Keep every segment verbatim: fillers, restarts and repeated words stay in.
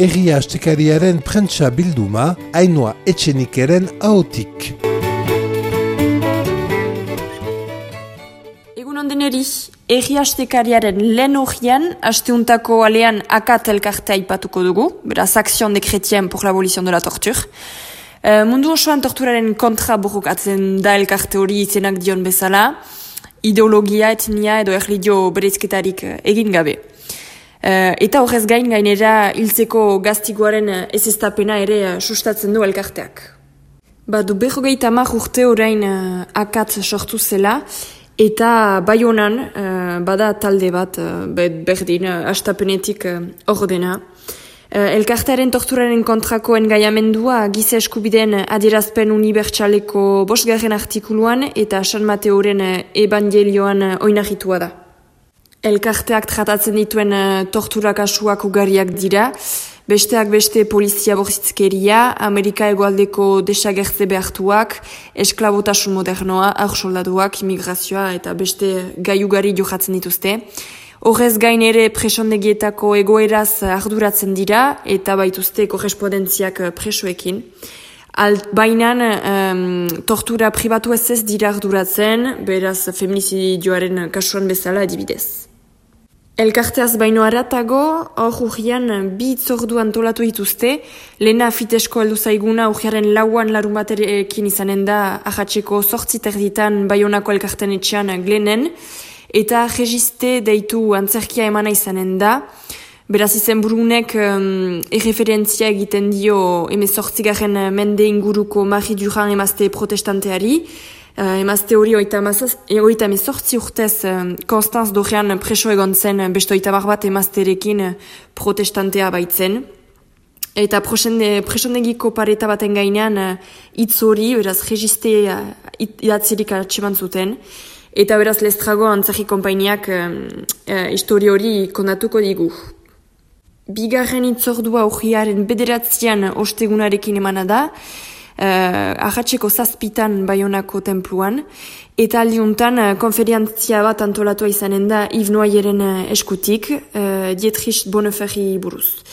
Herria Astekariaren prentsa bilduma, Ainhoa Etxenikeren ahotik. Egun ondeneri, Herria Astekariaren lehen horian, asteuntako alean akat elkartea ipatuko dugu, beraz, Action de Chrétien pour l'abolition de la torture. Uh, mundu osoan torturaren kontra borrokatzen da elkarte hori izenak dion bezala, ideologia, etnia edo erlijio bereizketarik egin gabe. Uh, eta horrez gain gainera hiltzeko gaztiguaren ezeztapena ere sustatzen du elkarteak. Badu berrogeita hamar urte orain uh, akat sortu zela, eta Baionan uh, bada talde bat uh, berdin uh, astapenetik uh, ordena. Uh, elkartearen torturaren kontrako engaiamendua giza eskubideen adierazpen unibertsaleko bosgarren artikuluan eta San Mateoren uh, evangelioan uh, oinarritua da. Elkarteak tratatzen dituen uh, tortura kasuak ugariak dira, besteak beste polizia borzitzkeria, Amerika hegoaldeko desagertze behartuak, esklabotasun modernoa, aursoldaduak, imigrazioa eta beste gai ugari jokatzen dituzte. Horrez gain ere presondegietako egoeraz arduratzen dira eta baituzte korrespondentziak presoekin. Bainan um, tortura pribatu ez ez dira arduratzen, beraz feminizidioaren kasuan bezala adibidez. Elkarteaz baino aratago, hor urrian bi itzordu antolatu dituzte, lehena fitesko heldu zaiguna urriaren lauan larun baterekin izanen da ahatzeko sortzi terditan Baionako elkarten etxean Glenen, eta registe deitu antzerkia emana izanen da. Beraz izen burunek um, erreferentzia egiten dio emezortzigarren mende inguruko Marie Durand emazte protestanteari. Uh, emazte hori oita emezortzi urtez um, Konstanz Dorrean preso egon zen beste oita bat emazterekin protestantea baitzen. Eta presondegiko pareta baten gainean uh, hitz hori, beraz registe uh, idatzerik atseman zuten. Eta beraz lestrago antzerki konpainiak uh, uh, histori hori kondatuko digu. Bigarren itzordua urriaren bederatzean ostegunarekin emana da, uh, ahatzeko zazpitan Baionako tenpluan, eta aldiuntan uh, konferientzia bat antolatua izanen da Yves Noyeren uh, eskutik, uh, Dietrich Bonneferri buruz.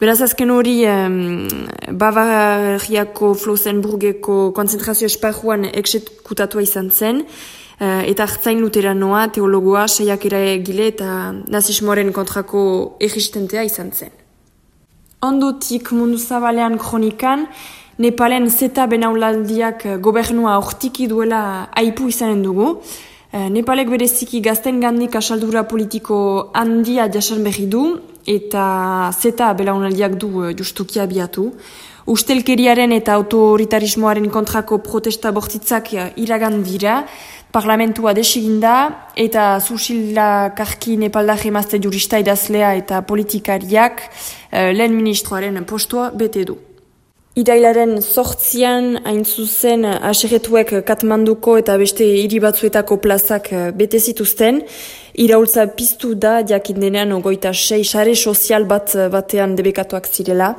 Beraz azken hori um, Bavariako Flossenburgeko konzentrazio esparruan eksekutatua izan zen, Uh, eta hartzain luteranoa, teologoa, saiakera egile eta nazismoaren kontrako erristentea izan zen. Ondotik mundu zabalean kronikan, Nepalen zeta benaulaldiak gobernua hortiki duela aipu izanen dugu. Uh, Nepalek bereziki gazten gandik asaldura politiko handia jasan berri du, eta zeta belaunaldiak du uh, justuki abiatu. Ustelkeriaren eta autoritarismoaren kontrako protesta bortitzak iragan dira, parlamentua desiginda eta Susila Karki Nepaldar emazte jurista idazlea eta politikariak uh, lehen ministroaren postua bete du. Irailaren sortzian hain zuzen aserretuek Katmanduko eta beste hiri batzuetako plazak bete zituzten, iraultza piztu da jakin denean ogoita sei sare sozial bat batean debekatuak zirela.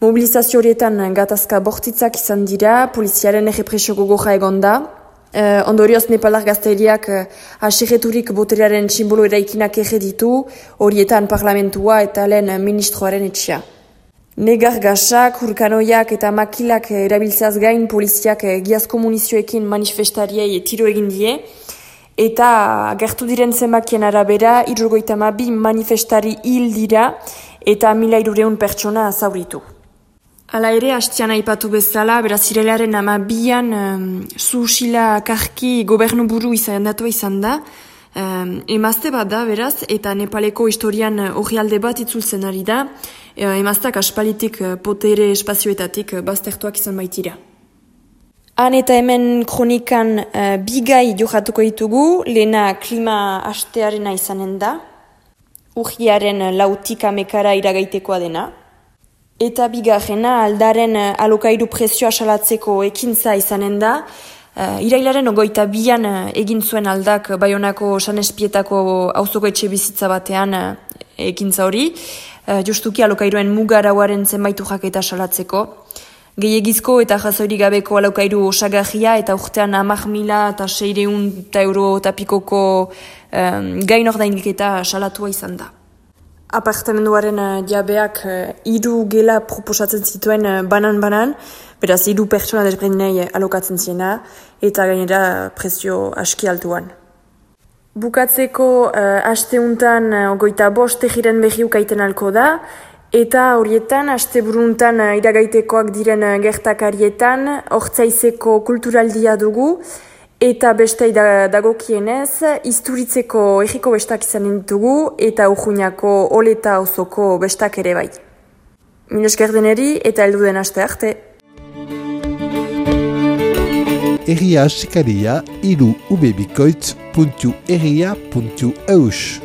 Mobilizazio horietan gatazka bortitzak izan dira, poliziaren errepresio gogorra egon da. Uh, ondorioz Nepaldar gazteriak uh, aserreturik boterearen simbolo eraikinak erreditu, horietan parlamentua eta lehen ministroaren etxea. Negar gasak, hurkanoiak eta makilak erabiltzeaz gain poliziak giazko munizioekin manifestariei tiro egin die, eta gertu diren zenbakien arabera, hirurogeita hamabi manifestari hil dira eta mila hirureun pertsona zauritu. Hala ere, hastian aipatu bezala, beraz irelaren amabian um, Susila Karki gobernu buru izan datua izan da, um, emazte bat da, beraz, eta Nepaleko historian orrialde bat itzultzen ari da, uh, emaztak aspalitik uh, potere espazioetatik uh, baztertuak izan baitira. Han eta hemen kronikan uh, bigai johatuko ditugu, lehena klima hastearena izanen da, urriaren lautik amekara iragaitekoa dena, eta bigarrena aldaren alokairu prezioa salatzeko ekintza izanen da. Uh, irailaren ogoita bian uh, egin zuen aldak Baionako Sanespietako auzoko etxe bizitza batean uh, ekintza hori, uh, justuki alokairuen mugarauaren zenbaitu jaketa salatzeko. Gehiegizko eta jazoiri gabeko alokairu osagarria eta urtean hamar mila eta seireun eta euro eta pikoko um, gain ordainketa salatua izan da. apartamenduaren uh, jabeak uh, hiru gela proposatzen zituen uh, banan-banan, beraz hiru pertsona desberdinei alokatzen ziena, eta gainera prezio aski altuan. Bukatzeko uh, asteuntan uh, ogoita bost egiren behi ukaiten alko da, eta horietan, asteburuntan uh, iragaitekoak diren uh, gertakarietan, hortzaizeko kulturaldia dugu, eta bestei da, dagokienez, Isturitzeko egiko bestak izan ditugu, eta Urruñako Oleta auzoko bestak ere bai. Mil esker deneri eta heldu den aste arte. Egia asikaria iru ubebikoitz puntu egia puntu eus.